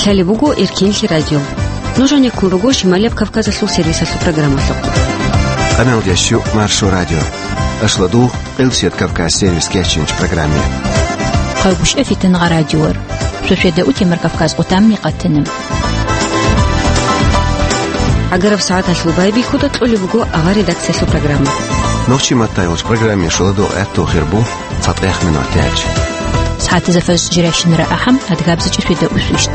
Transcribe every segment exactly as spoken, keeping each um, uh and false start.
Талеб буго Эркенлъи радио. Нуж гьанеккун руго Шималияб Кавказалъул сервисалъул программалъухъ. Къаналдящу Маршо радио. Ашладугъ Къилсият Кавказ сервис кечинч программе. Хъайгъушев Фитангъа радиор. Шошеда утемар Кавказ къутамни къатана. Агараб сагӀаталъул байбихьуда кьолеб буго авар редакциялъул программа. Нохчи матайвалч программе шуладугъ гӀатту хирбу. ЦатӀех минутач. СагӀатизафаз жирашинра ахӀам, адгабзичӀи шведа усвищ.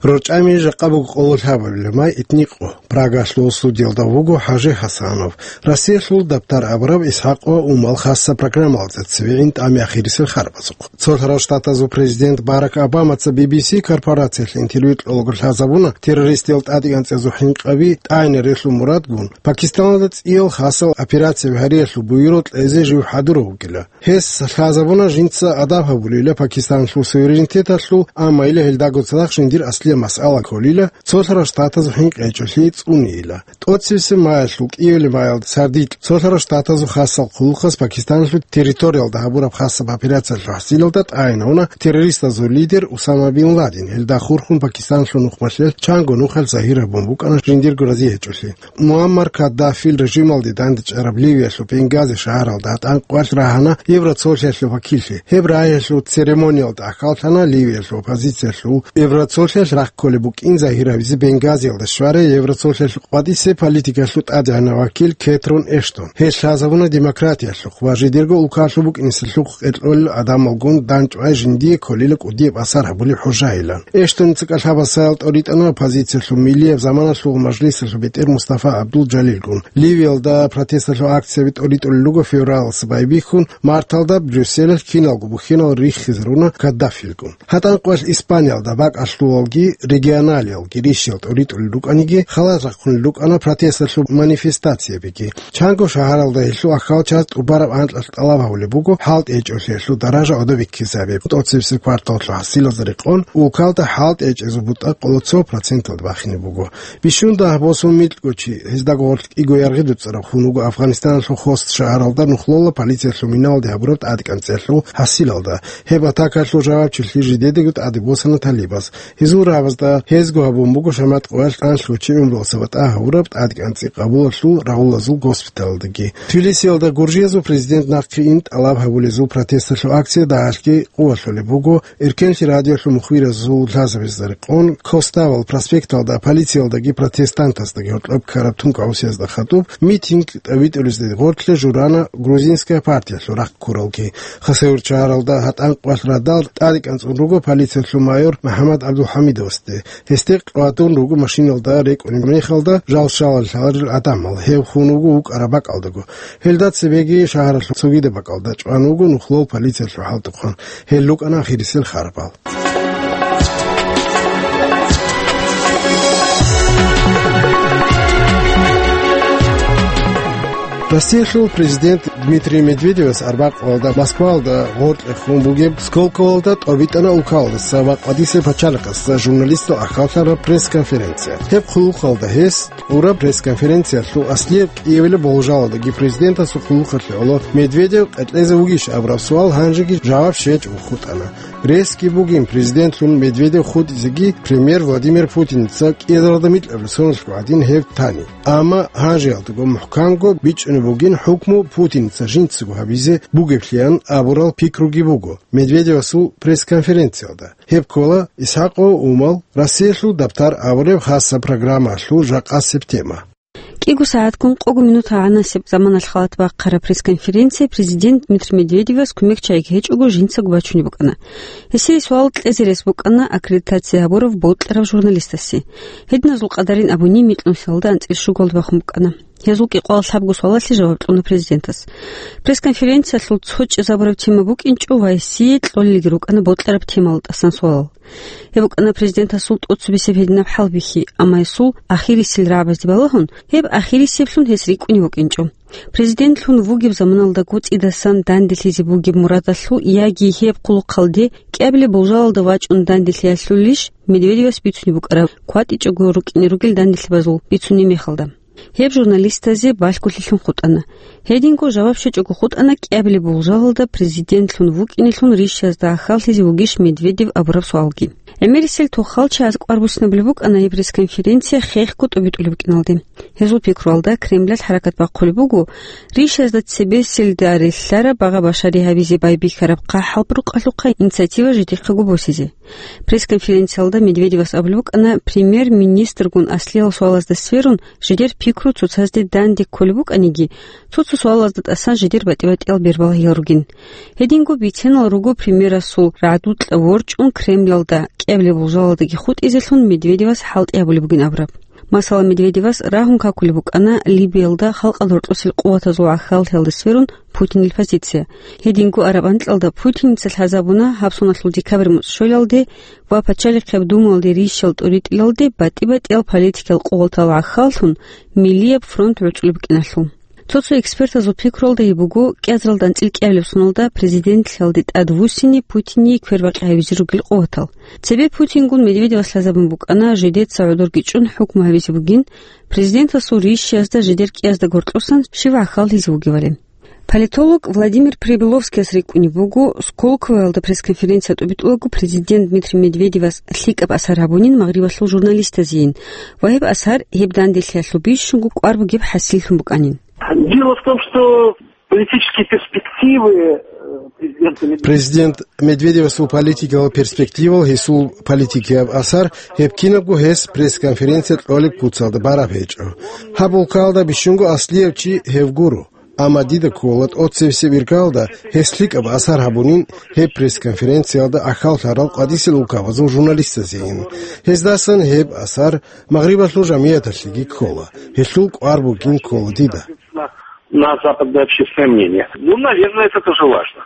РорчӀами жакъа буго къоло лъабабилеб май итникъо. Прагалъул студиялда вуго ХӀажи ХӀасанов. Россиялъул дабтар абураб ИсхӀакъ ва Умал хасса программалда цеве гӀин тӀами ахирисел харбазухъ. Цолъарал Штатазул президент Барак Обамаца Би Би Си корпорациялъе интервью кьолаго лъазабуна, террористиял тӀадегӀанцӀазул хӀинкъаби тӀагӀине релъул мурадгун, Пакистаналда цӀиял хасал операцияби гьариялъул буюрал кьезе жив хӀадурав вугила. Гьес лъазабуна жинца адаб гьабулила Пакистаналъул суверенитеталъул, амма ила гьелдаго цадахъ жиндир аслияб масъала кколила, цолъарал Штатазул хӀинкъи гьечӀолъи цӀунейила. ТӀоцебесеб маялъул кӀиябилеб маялда сардилъ цолъарал Штатазул хасал хъулухъас Пакистаналъул территориялда гьабураб хасаб операциялъул хӀасилалда тӀагӀинавуна террористазул лидер Усама бин Ладен, гьелда хурхун Пакистаналъул нухмалъе чанго нухалъ загьир гьабун букӀана жиндирго рази гьечӀолъи. Муаммар Каддафил режималде дандечӀараб Ливиялъул Бенгази шагьаралда гьатӀан къвалъ рагьана Евроцолъиялъул вакиллъи. Гьеб рагьиялъул церемониялда ахӀаллъана Ливиялъул оппозициялъул Евроцолъиялъ рахъ кколеб букӀин загьир гьабизе Бенгазиялда щварай Евроцолъиялъул къватӀисеб политикалъул тӀадегӀанав вакил Кетрон Эштон. Гьелъ лъазабуна демократиялъухъ ва жидерго улкалъул букӀинесалъухъ кьеркьолел гӀадамалгун дандчӀвай жиндие кколила кӀудияб асар гьабулеб хӀужайилан. Эштоница кӀалъабасаял тӀоритӀана оппозициялъул миллияб заманалъул мажлисалъул бетӀер Мустафа ГӀабдул-Жалилгун. Ливиялда протесталъул акцияби тӀоритӀулел руго февралалъ байбихьун, марталда Брюсселалъ киналго бухьинал риххизаруна Каддафилгун. ГьатӀан къвалъ Испаниялда бакӀалъувалги регионалиялги рищал тӀоритӀулел рукӀаниги, халат рахъунел рукӀана протесталъул манифестациябиги. Чанго шагьаралда гьелъул ахьал чаз тӀубараб анкьалъ тӀалаб гьабулеб буго хӀалтӀи гьечӀолъиялъул даража гӀодобиккизе гьабиб. ТӀоцебесеб кварталалъул хӀасилазда рекъон, улкалда хӀалтӀи гьечӀезул бутӀа къоло цо проценталда бахине буго. Бищун дагь босун микьго чи, гьездаго гъорлъ кӀиго яргъи дуцӀараб, хун вуго Афганистаналъул Хост шагьаралда нухлола полициялъул миналде гьабураб тӀадекӀанцӀиялъул хӀасилалда. Гьеб атакаялъул жавабчилъи жидедаго тӀаде босана талибаз. Гьезул рагӀабазда гьезго гьабун буго шамат къоялъ анлъго чи гӀумруялъа батӀа гьавураб тӀадекӀанцӀи къабулалъул рагъулазул госпиталалдаги. Тбилисиялда гуржиязул президент нахъе ин тӀалаб гьабулезул протесталъул акция дагьалъги къувалъулеб буго. Эркенлъи радиолъул мухбиразул лъазабазда рекъон, Коставал проспекталда полициялдаги протестантаздаги гьоркьоб ккараб тункӀаб гӀусиязда хадуб митинг тӀабитӀулезде гъорлъе журана грузинская партиялъул рахъ ккуралги. Хасавюрт шагьаралда гьатӀан къвалъ радал тӀадекӀанцӀун руго полициялъул майор МухӀаммад ГӀабдулхӀамидовасде. Гьесде къватӀун руго машиналда рекӀунеб мехалда жал-шалал лъаларел гӀадамал, гьев хун вуго вукӀараб бакӀалдаго. Гьелда цебеги шагьаралъул цогидаб бакӀалда чӀван вуго нухлол полициялъул хӀалтӀухъан. Гьел рукӀана ахирисел харбал. Россиялъул президент Дмитрий Медведевас арбякьвалда Москваялда гъоркье хун бугеб Сколковоялда тӀобитӀана улкалдаса ва къватӀисеб пачалихъаса журналистал ахӀаллъараб пресс-конференция. Гьеб хъулухъалда гьес кьураб пресс-конференциялъул аслияб кӀиябилеб болжалалдаги президентасул хъулухъалъе гӀоло Медведев къетӀлъезе вугищ абураб суал гьанжеги жаваб щвечӀого хутӀана. Ресги бугин президентлъун Медведев хутӀизеги премьер Владимир Путиница кӀиязаралда микьабилеб соналъго гӀадин гьеб тани. Амма гьанжеялдаго мухӀканго бичӀчӀунеб бугин хӀукму Путиница жинцаго гьабизе бугеблъиян абурал пикруги буго Медведевасул пресс-конференциялда. Гьеб ккола ИсхӀакъ ва Умал, Россиялъул дабтар абураб хасаб программаялъул жакъасеб тема. КӀиго сагӀатгун къого минут гӀанасеб заманалъ халат бахъараб пресс-конференция президент Дмитрий Медведевас кумекчагӀиги гьечӀого жинцаго бачунеб букӀана. Гьесие суал кьезе рес букӀана аккредитация гьабурав бокьарав журналистасе. Гьединазул къадарин абуни микьнусиялда анцӀила щугалда бахун букӀана. Гьезул кӀикъоялда лъабго суалалъе жаваб кьуна президентас. Пресс-конференциялъул цо чӀезабураб тема букӀинчӀо ва гьесие кьолелги рукӀана бокьараб темалда тӀасан суалал. Гьеб букӀана президентасул тӀоцебесеб гьединаб хӀалбихьи, амма гьесул ахирисел рагӀабазде балагьун, гьеб ахирисеблъун гьес рикӀкӀунев вукӀинчӀо. Президентлъун вугеб заманалдаго цӀидасан данделъизе бугеб мурадалъул яги гьеб хъулухъалде кӀиабилеб болжалалда вачӀун данделъиялъулищ Медведевас бицунеб букӀараб кватӀичӀого рукӀине ругел данделъабазул бицунеб мехалда? Гьеб журналистазе балъголъилъун хутӀана. Гьединго жаваб щвечӀого хутӀана кӀиабилеб болжалалда президентлъун вукӀинелъун Ришазда гӀахьаллъизе вугищ Медведев абураб суалги. ГӀемерисел тохал чагӀаз кӀвар буссинабулеб букӀана гьеб пресс-конференция хехго тӀубитӀулеб букӀиналде. Гьезул пикруялда Кремлалъ хӀаракат бахъулеб буго Ришазда цебеселда релълъараб багъа-башари гьабизе байбихьараб хъахӀалбукьалъухъа инициатива жидехъего босизе. Пресс-конференциялда Медведевас абулеб букӀана премьер-министргун аслиял суалазда сверун жидер пикру цоцазде данде кколеб букӀаниги, цо-цо суалазда тӀасан жидер батӀи-батӀиял бербал гьел ругин. Гьединго биценал руго премьерасул рагӀдукьа ворчӀун Кремлалда кӀиабилеб болжалалдаги хутӀизелъун Медведевас хӀалтӀи гьабулеб бугин абураб. Масала, Медведевас рагьун какулеб букӀана Либиялда халкъалда гьоркьосел къуватазул гӀахьаллъиялда сверун Путинил позиция. Гьединго араб анкьалда Путиница лъазабуна гьаб соналъул декабрь муцӀ щолалде ва Пачалихъеб Думалде рищал тӀуритӀилалде батӀи-батӀиял политикиял къуватал гӀахьаллъун Миллияб фронт гӀуцӀулеб букӀиналъул. Цо-цо экспертазул пикруялда гьеб буго, кӀиазаралда анцӀил кӀиабилеб соналда президентлъиялде тӀадвуссине Путине квербакъи гьабизе ругел къуватал. Цебе Путингун Медведевас лъазабун букӀана жидеца гӀодорги чӀун хӀукму гьабизе бугин, президентасул рищиязда жидер кӀиязда гьоркьосан щив гӀахьаллъизе вугевали. Политолог Владимир Прибыловскияс рикӀкӀунеб буго, Сколковоялда пресс-конференция тӀубитӀулаго президент Дмитрий Медведевас лъикӀаб асар гьабунин магърибалъул журналистазейин ва гьеб асар гьеб данделъиялъул бищунго кӀвар бугеб хӀасиллъун букӀанин. Дело в том, что политические перспективы, э, президента Медведева... Президент Медведевасул политикалал перспективал гьесул политикияб асар гьеб кинабго гьес пресс-конференция кьолеб куцалда бараб гьечӀо. Гьаб улкаялда бищунго аслияб чи гьев гуро. Амма дида ккола тӀоцебесеб иргаялда гьес лъикӀаб асар гьабунин гьеб пресс-конференциялда ахӀаллъарал къвадисел улкабазул журналистазейин. Гьездасан гьеб асар магърибалъул жамигӀаталъеги ккола, гьелъул кӀвар бугин ккола дида. На западное общественное мнение. Ну, наверное, это тоже важно.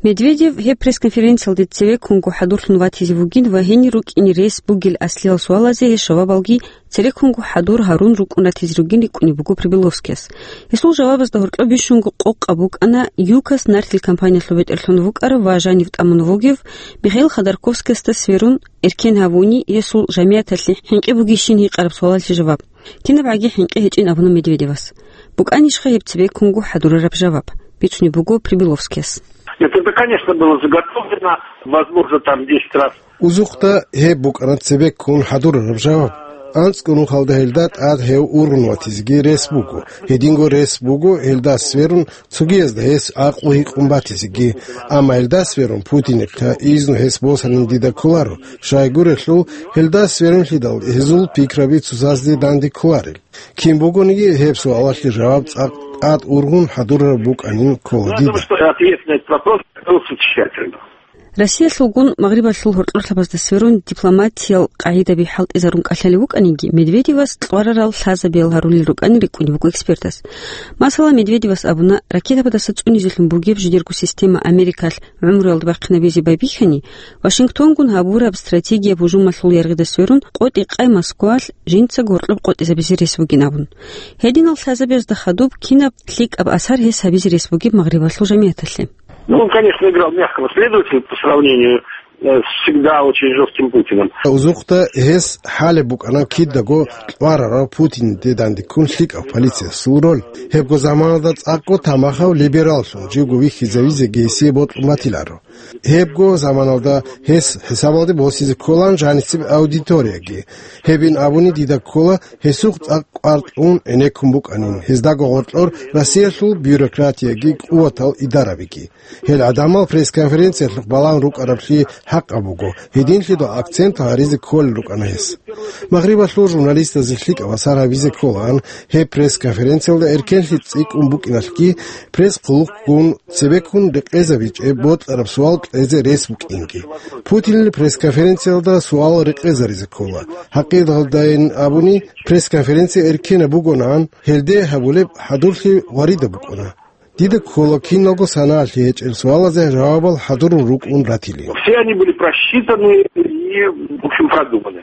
Медведев гьеб пресс-конференциялде цевеккунго хӀадурлъун ватизе вугин ва гьенир рукӀине рес бугел аслиял суалазе гьес жавабалги цереккунго хӀадур гьарун рукӀун ратизе ругин рикӀкӀунеб буго Прибыловскияс. Гьесул жавабазда гьоркьоб бищунго къокъаб букӀана ЮКОС нартил компаниялъул бетӀерлъун вукӀарав ва жанив тӀамун вугев Михаил Ходорковскиясда сверун, эркен гьавуни гьесул жамигӀаталъе хӀинкъи бугищин гьикъараб суалалъе жаваб. Кинаб гӀаги хӀинкъи гьечӀин абуна Медведевас. БукӀанищха гьеб цебеккунго хӀадурараб жаваб? Бицунеб буго Прибыловскияс. Нет, это, конечно, было заготовлено. Возможно, там десять раз. Узухъда гьеб букӀана цебеккун хӀадурараб жаваб. АнцӀго нухалда гьелда тӀад гьев ургъун ватизеги рес буго. Гьединго рес буго гьелда сверун цогиязда гьес гӀакълу гьикъун батизеги. Амма гьелда сверун Путинихъа изну гьес босанин дида кколаро, щайгурелъул гьелда сверунлъидал гьезул пикраби цоцазде данде кколарел. Кин бугониги, гьеб суалалъе жаваб цӀакъ тӀад ургъун хӀадурараб букӀанин ккола дида. Потому что ответ на этот вопрос готовился тщательно. Россиялъулгун Магърибалъул гьоркьорлъабазда сверун дипломатиял къагӀидаби хӀалтӀизарун кӀалъалев вукӀаниги, Медведевас кьварарал лъазабиял гьарулел рукӀанин рикӀкӀунеб буго экспертас. Масала, Медведевас абуна, ракетабаздаса цӀунизелъун бугеб жидерго система Америкалъ гӀумруялда бахъинабизе байбихьани, Вашингтонгун гьабураб стратегияб гьужумалъул яргъида сверун къотӀи-къай Москвалъ жинцаго гьоркьоб къотӀизабизе рес бугин абун. Гьединал лъазабиязда хадуб кинаб лъикӀаб асар гьес гьабизе рес бугеб Магърибалъул жамигӀаталъе? Ну, он, конечно, играл мягкого следователя по сравнению, э, с всегда очень жёстким Путиным. Узухъда гьес хӀалеб букӀана кидаго кьварарав Путинде дандеккун лъикӀав полициясул роль. Гьебго заманалда цӀакъго тамахав либераллъун живго вихьизавизеги гьесие бокьун батиларо. Гьебго заманалда гьес хӀисабалде босизе кколаан жаницеб аудиторияги. Гьебин абуни дида ккола гьесухъ цӀакъ кӀвар кьун гӀенеккун букӀанин гьездаго гьоркьор Россиялъул бюрократияги къуватал идарабиги. Гьел гӀадамал пресс-конференциялъухъ балагьун рукӀараблъи хӀакъаб буго, гьединлъидал акцент гьаризе кколел рукӀана гьес. Магърибалъул журналистазе лъикӀаб асар гьабизе кколаан гьеб пресс-конференциялда эркенлъи цӀикӀкӀун букӀиналъги, пресс-хъулухъгун цебеккун рекъезабичӀеб бокьараб суал кьезе рес букӀинги. Путинил пресс-конференциялда суал рекъезаризе ккола. ХӀакъикъаталдайин абуни, пресс-конференция эркенаб бугонаан, гьелде гьабулеб хӀадурлъи гъваридаб букӀуна. Дида ккола киналго санаялъе гьечӀел суалазе жавабал хӀадурун рукӀун ратилин. Все они были просчитаны и, в общем, продуманы.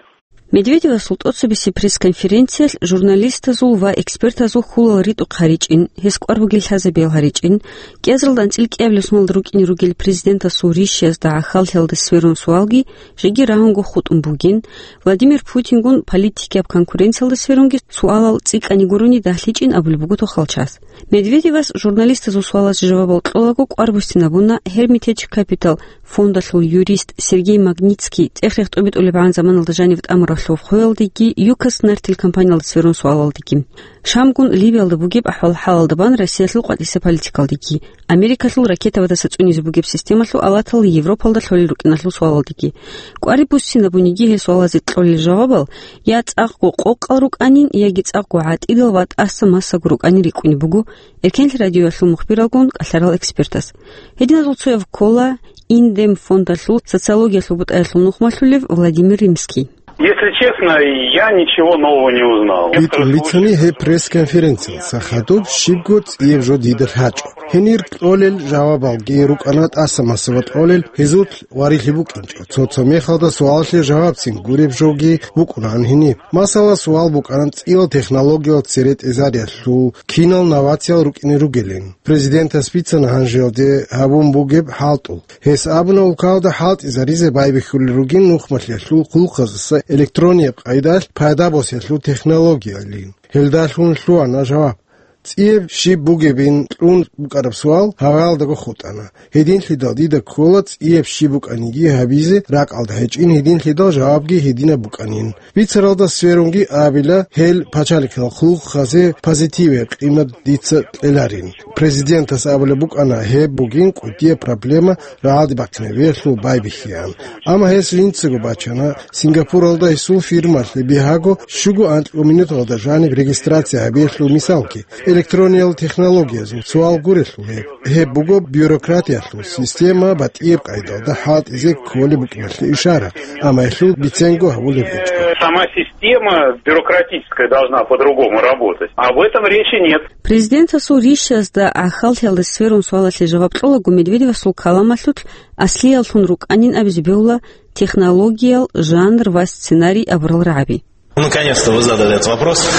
Медведевасул тӀоцебесеб пресс-конференциялъ журналистазул ва экспертазул хьулал ритӀухъ гьаричӀин, гьес кӀвар бугел лъазабиял гьаричӀин, кӀиазаралда анцӀила кӀиабилеб соналда рукӀине ругел президентасул ришиязда гӀахьаллъиялда сверун суалги жеги рагьунго хутӀун бугин, Владимир Путингун политикияб конкуренциялда сверунги суалал цӀикӀкӀани гурони дагьлъичӀин абулеб буго Тухалчас. Медведевас журналистазул суалазе жавабал кьолаго кӀвар буссинабуна Hermitage Capital фондалъул юрист Сергей Магнитский цӀех-рех тӀобитӀулебгӀан заманалда жанив тӀамуралъув хвеялдеги, ЮКОС нартил компаниялда сверун суалалдеги. Шамгун Ливиялда бугеб ахӀвал-хӀалалда бан Россиялъул къватӀиса политикалдеги, Америкалъул ракетабадаса цӀунизе бугеб системалъул алатал Европалда лъолел рукӀиналъул суалалдеги. КӀвари буссинабуниги гьел суалазе кьолел жавабал я цӀакъго къокъал рукӀанин, яги цӀакъго гӀатӀидал ва тӀаса массаго рукӀанин рикӀкӀунеб буго Эркенлъи радиоялъул мухбиралгун кӀалъарал экспертас. Гьединазул цояв ккола Индем фондалъул социологиялъул бутӀаялъул нухмалъулев Владимир Римский. Если честно, я ничего нового не узнал. БитӀун бицани, гьеб пресс-конференциялдаса хадуб щибго цӀияб жо дида лъачӀо. Гьенир кьолел жавабалги рукӀана тӀаса массаго тӀолел, гьезул варилъи букӀинчӀо. Цо-цо мехалда суалалъе жавабцин гуреб жоги букӀунаан гьениб. Масала, суал букӀана цӀиял технологиял цере тӀезариялъул, кинал новациял рукӀине ругелин. Президентас бицана гьанжеялде гьабун бугеб хӀалтӀул. Гьес абуна, улкалда хӀалтӀизаризе байбихьулел ругин нухмалъиялъул хъулухъаздаса электронияб къайдалъ пайда босиялъул технологиялин. Гьелдалъун лъугьана жаваб. ЦӀияб щиб бугебин кьун букӀараб суал гьаваялдаго хутӀана. Гьединлъидал дида ккола цӀияб щиб букӀаниги гьабизе ракӀалда гьечӀин, гьединлъидал жавабги гьединаб букӀанин. Бицаралда сверунги абила, гьел пачалихъал хъулухъазе позитиве къимат дица кьеларин. Президентас абулеб букӀана, гьеб бугин кӀудияб проблема рагӀалде бахъинабиялъул байбихьеян. Амма гьес жинцаго бачана, Сингапуралда гьесул фирмалъе бигьаго щуго анкьго минуталда жаниб регистрация гьабиялъул мисалги. Электрониял технологиязул суал гурелъул гьеб. Гьеб буго бюрократиялъул система батӀияб къайдалда хӀалтӀизе кколеб букӀиналъе ишара, амма гьелъул биценго гьавулеб гьечӀо. Сама система бюрократическая должна по-другому работать. Об этом речи нет. Президентасул ришиязда гӀахьаллъиялда сверун суалалъе жаваб кьолаго Медведевасул каламалъулъ аслияллъун рукӀанин абизе бегьула технологиял, жанр ва сценарий абурал рагӀаби. Наконец-то вы задали этот вопрос.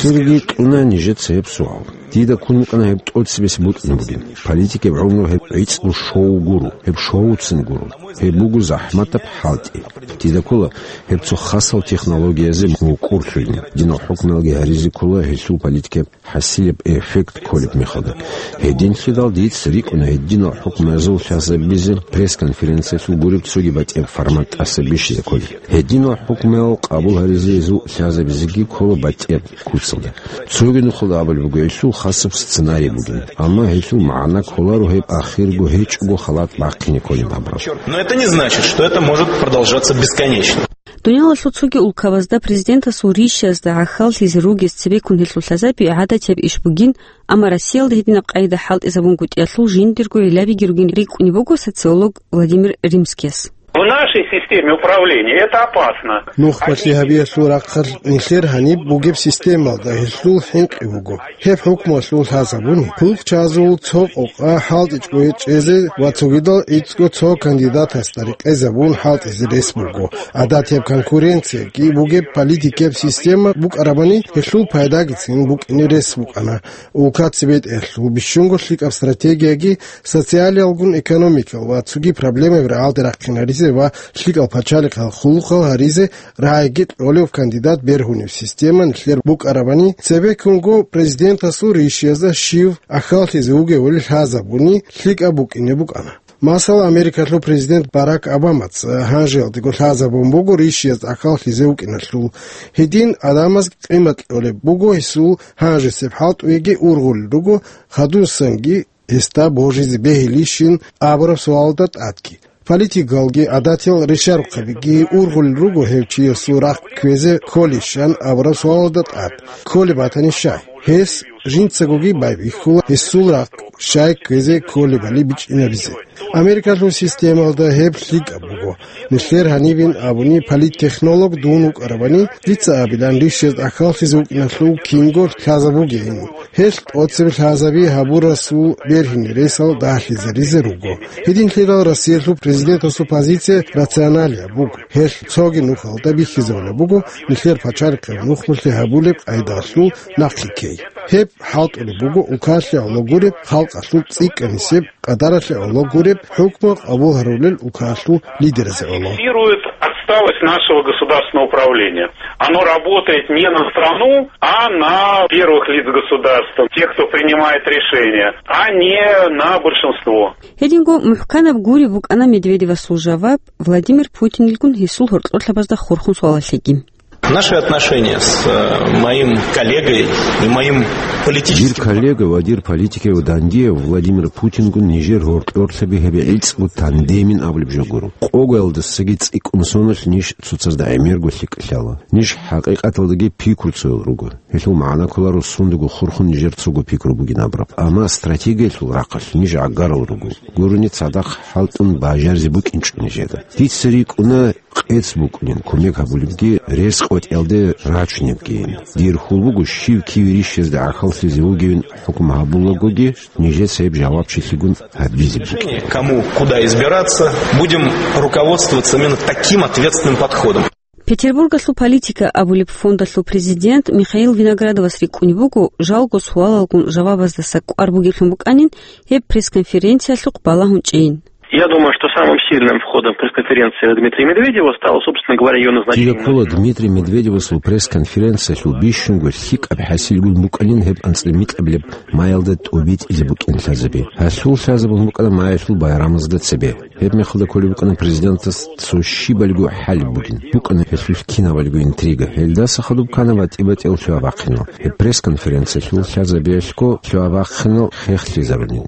Чирги кьуна нижеца гьеб суал. Дида ккун букӀана гьеб тӀоцебесеб бутӀрун бугин. Политикияб гӀумру гьеб гӀицӀго шоу гуро, гьеб шоуцин гуро. Гьеб буго захӀматаб хӀалтӀи. Дида ккола гьеб цо хасал технологиязе мукӀурлъугьин. Динал хӀукмуялги гьаризе ккола гьелъул политикияб хӀасилеб эффект кколеб мехалда. Гьединлъидал дица рикӀкӀуна гьединал хӀукмуязул лъазабизе пресс-конференциялъул гуреб цоги батӀияб формат тӀаса бищизе кколеб. Гьединал хӀукмуял къабул гьаризе гьезул лъазабизеги ккола батӀияб куцалда. Цоги нухалда абулеб буго, гьелъул хасаб сценарий бугин, амма гьелъул магӀна кколаро гьеб ахирго гьечӀого халат бахъине кколин абураб. Но это не значит, что это может продолжаться бесконечно. Дуниялалъул цоги улкабазда президентасул ришиязда гӀахьаллъизе ругез цебеккун гьелъул лъазаби гӀадатияб иш бугин, амма Россиялда гьединаб къайда хӀалтӀизабунгутӀиялъул жиндирго гӀиллабиги ругин рикӀкӀунеб буго социолог Владимир Римскияс. В нашей системе управления это опасно. Нухбалъи гьабиялъул рахъалъ нилъер гьаниб бугеб системалда гьелъул хӀинкъи буго. Гьеб хӀукмуялъул лъазабуни, хъулухъчазул цо къокъа хӀалтӀичӀого чӀезе ва цогидал гӀицӀго цо кандидатасда рекъезабун хӀалтӀизе рес буго. ГӀадатияб конкуренцияги бугеб политикияб система букӀарабани, гьелъул пайдагицин букӀине рес букӀана. Улкаца бетӀерлъул бищунго лъикӀаб стратегияги социалиялгун экономикал ва цоги проблемаби рагӀалде рахъинаризе ва лъикӀал пачалихъал хъулухъал гьаризе рагӀиги кьолев кандидат бергьунеб система нилъер букӀарабани, цебеккунго президентасул ришиязда щив гӀахьаллъизе вугевали лъазабуни лъикӀаб букӀине букӀана. Масала, Америкалъул президент Барак Обамаца гьанжеялдего лъазабун буго ришияз гӀахьаллъизе вукӀиналъул. Гьедин гӀадамаз къимат кьолеб буго гьесул гьанжесеб хӀалтӀуеги ургъулел руго, хадусанги гьесда божизе бегьилищин абураб суалалда тӀадги. Политикалги гӀадатиял решарухъабиги ургъулел руго гьев чиясул рахъ кквезе кколищан абураб суалалда тӀад, кколеб батани щай. Гьес жинцагоги байбихьула гьесул рахъ щай кквезе кколебали бичӀчӀинабизе. Америкалъул системалда гьеб лъикӀаб буго. Нилъер гьанибин абуни политтехнолог дун вукӀарабани, дица абилан рищезда гӀахьаллъизе вукӀиналъул кинго лъазабугейин. Гьелъ тӀоцебе лъазаби гьабурасул бергьине ресал дагьлъизаризе руго. Гьединлъидал Россиялъул президентасул позиция рационалияб буго. Гьелъ цоги нухалда бихьизабулеб буго, нилъер пачалихъе нухмулъи гьабулеб къайдалъул нахъе ккей. Гьеб хӀалтӀулеб буго улкалъе гӀоло гуреб халкъалъул цӀикӀкӀанисеб къадаралъе гӀоло гуреб хӀукму къабул гьарулел улкалъул лидеразе гӀоло. Фиксирует отсталость нашего государственного управления. Оно работает не на страну, а на первых лиц государства, тех, кто принимает решения, а не на большинство. Гьединго мухӀканаб гуреб букӀана Медведевасул жаваб Владимир Путинилгун гьесул гьоркьорлъабазда хурхун суалалъеги. Наши отношения с, э, моим коллегой и моим политическим... Дир коллега ва дир политикияв дандияв Владимир Путингун нижер гьоркьорлъаби гьеб гӀицӀго тандемин абулеб жо гуро. Къоялдасаги цӀикӀкӀун соналъ ниж цоцазда гӀемерго лъикӀлъала. Ниж хӀакъикъаталдаги пикруцоял руго. Гьелъул магӀна кколаро сундаго хурхун нижер цого пикру бугин абураб. Амма стратегиялъул рахъалъ ниж гӀагарал руго. Гурони цадахъ хӀалтӀун бажаризе букӀинчӀо нижеда. Дица рикӀкӀуна къец букӀунин кумек гьабулебги, рес къотӀиялде рачунебгийин. Дир хьул буго, щив киве рищезда гӀахьаллъизе вугевин хӀукму гьабулагоги, нижеца гьеб жавабчилъигун гьабизе букӀин. Кому куда избираться, будем руководствоваться именно таким ответственным подходом. Петербургалъул «Политика» абулеб фондалъул президент Михаил Виноградовас рикӀкӀунеб буго, жалго суалалгун жавабаздаса кӀвар бугеблъун букӀанин гьеб пресс-конференциялъухъ балагьун чӀейин. Я думаю, что самым сильным входом в пресс-конференцию Дмитрия Медведева стало, собственно говоря, её назначение. Дида ккола Дмитрий Медведевасул пресс-конференциялъул бищунго лъикӀаб хӀасилгун букӀанин гьеб анцӀила микьабилеб маялда тӀубитӀизе букӀин лъазаби. Гьалъул лъазабун букӀана маялъул байрамазда цебе. Гьеб мехалда кколеб букӀана президентас цо щибалго хӀалеб бугин. БукӀана гьелъулъ кинабалго интрига. Гьелдаса хадуб ккана батӀи-батӀиял лъугьа-бахъинал. Гьеб пресс-конференциялъул лъазабиялъго лъугьа-бахъинал хехлъизарунин.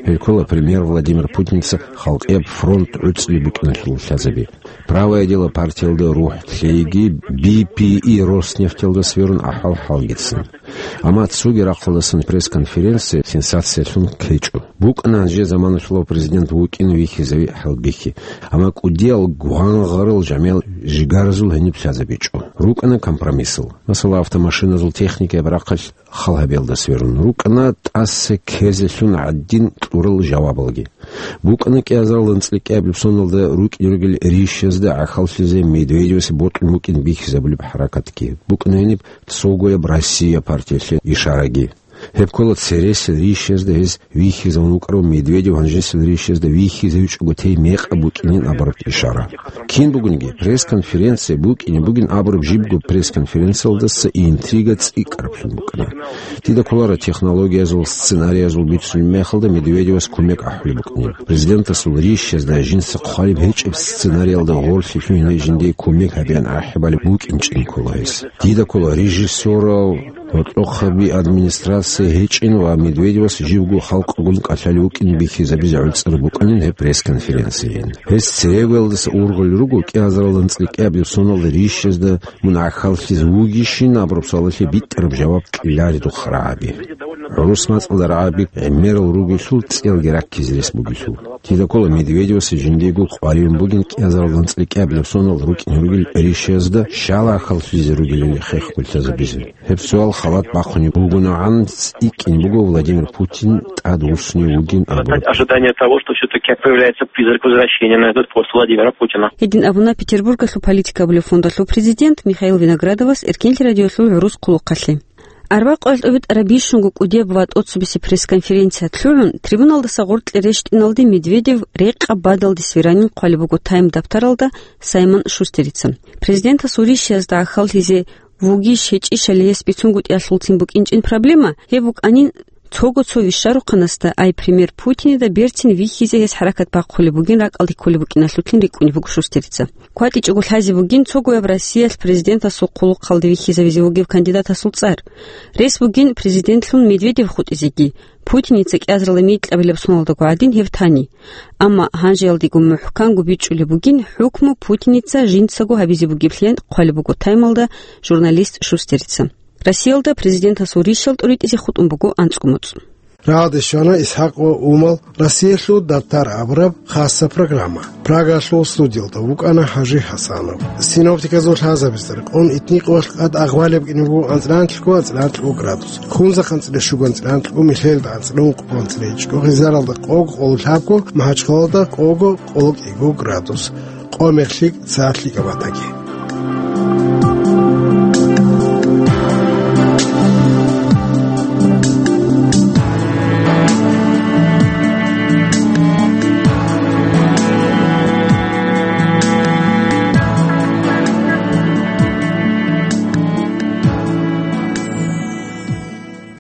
Гьел ккола премьер Владимир Путинца халкъияб фронт гӀуцӀби букӀиналъул лъазаби. «Правое дело» партиялда рухӀ лъейги, Би Пи И Роснефтьалда сверун ахӀвал-хӀалгицин. Амма цоги рахъалдасан пресс-конференция сенсациялъун ккечӀо. БукӀана гьанже заманалъулав президент вукӀин вихьизави хӀалбихьи. Амма кӀудиял гвангъарал жамиял жигаразул гьениб лъазабичӀо. РукӀана компромиссал. Масала, автомашиназул техникаяб рахъалъ хал гьабиялда сверун. РукӀана тӀаса ккезелъун гӀадин кьурал жавабалги. БукӀана кӀиазарал анцӀила кӀиабилеб соналда рукӀине ругел рищазда гӀахьаллъизе Медведевасе бокьун букӀин бихьизабулеб хӀаракатги. БукӀана гьениб цогояб «Россия» партиялъе ишараги. Гьеб ккола цересел рищазда гьез вихьизавун вукӀарав Медведев гьанжесел рищазда вихьизе вичӀого тей мекъаб букӀинин абураб ишара. Кин бугониги, пресс-конференция букӀине бугин абураб жибго пресс-конференциялдаса интрига цӀикӀкӀараблъун букӀана. Дида кколаро технологиязул, сценариязул бицунеб мехалда Медведевас кумек ахӀулеб букӀанин. Президентасул рищазда жинца хъвалеб гьечӀеб сценариялда гъорлъе лъугьине жиндие кумек гьабеян ахӀи балеб букӀинчӀин ккола гьес. Дида ккола режиссерав, гьоркьохъаби администрация гьечӀин ва Медведевас живго халкъгун кӀалъалев вукӀин бихьизабизе гӀуцӀараб букӀанин гьеб пресс-конференциейин. Гьес церегоялдаса ургъулел руго кӀиазарал анцӀила кӀиабилеб соналда рищазда мун гӀахьаллъизе вугищин абураб суалалъе битӀараб жаваб кьеларидухъ рагӀаби. ГӀурус мацӀалда рагӀаби гӀемерал ругелъул, цӀиялги раккизе рес бугелъул. Дида ккола Медведевасе жиндиего къваригӀун бугин кӀиазарал анцӀила кӀиабилеб сонал рукӀине ругел рищазда щал гӀахьаллъизе ругелали хехго лъазабизе. Гьеб суал халат бахъунеб бугонгӀан цӀикӀкӀин буго Владимир Путин тӀадвуссунев вугин абураб. Ожидание того, что всё-таки появляется призрак возвращения на этот пост Владимира Путина. Гьедин абуна Петербургалъул «Политика» абулеб фондалъул президент Михаил Виноградовас Эркенлъи радиолъул гӀурус хъулухъалъе. Арбакъуялда тӀубитӀараб бищунго кӀудияб ва тӀоцебесеб пресс-конференциялъ лъугӀун, трибуналдаса гъоркье рещтӀиналде Медведев рекъаб бадалде сверанин хъвалеб буго «Тайм» дабтаралда Саймон Шустерица. Президентасул рищазда гӀахьаллъизе вугищ гьечӀищали гьес бицунгутӀиялъулцин букӀинчӀин проблема, гьеб букӀанин цого цо вищарухъанасда, ай премьер Путинида берцин вихьизе гьес хӀаракат бахъулеб бугин ракӀалде кколеб букӀиналъулъин рикӀкӀунеб буго Шустерица. КватӀичӀого лъазе бугин цогояб Россиялъ президентасул хъулухъалде вихьизавизе вугев кандидатасул цӀар. Рес бугин президентлъун Медведев хутӀизеги, Путиница кӀиазарила микьабилеб соналдаго гӀадин гьев тани. Амма гьанжеялдего мухӀканго бичӀчӀулеб бугин хӀукму Путиница жинцаго гьабизе бугеблъиян хъвалеб буго «Таймалда» журналист Шустерица. Россиялда президентасул рищал тӀуритӀизе хутӀун буго анцӀго моцӀ. Рагъде щвана ИсхӀакъ ва Умал Россиялъул дабтар абураб хасса программа. Прагалъул студиялда вукӀана ХӀажи ХӀасанов. Синоптиказул лъазабица рекъон итникъоялъ къад агъвалеб кӀине буго анцӀралъго, анцӀралъго градус. Хунзахъ анцӀила щуго, анцӀралъго михелда анцӀила ункъго, анцӀила ичӀго, гъизаралда къого, къоло лъабго, МахӀачхъалалда къого, къоло кӀиго градус. Къо мехлъи цалъи габатаги.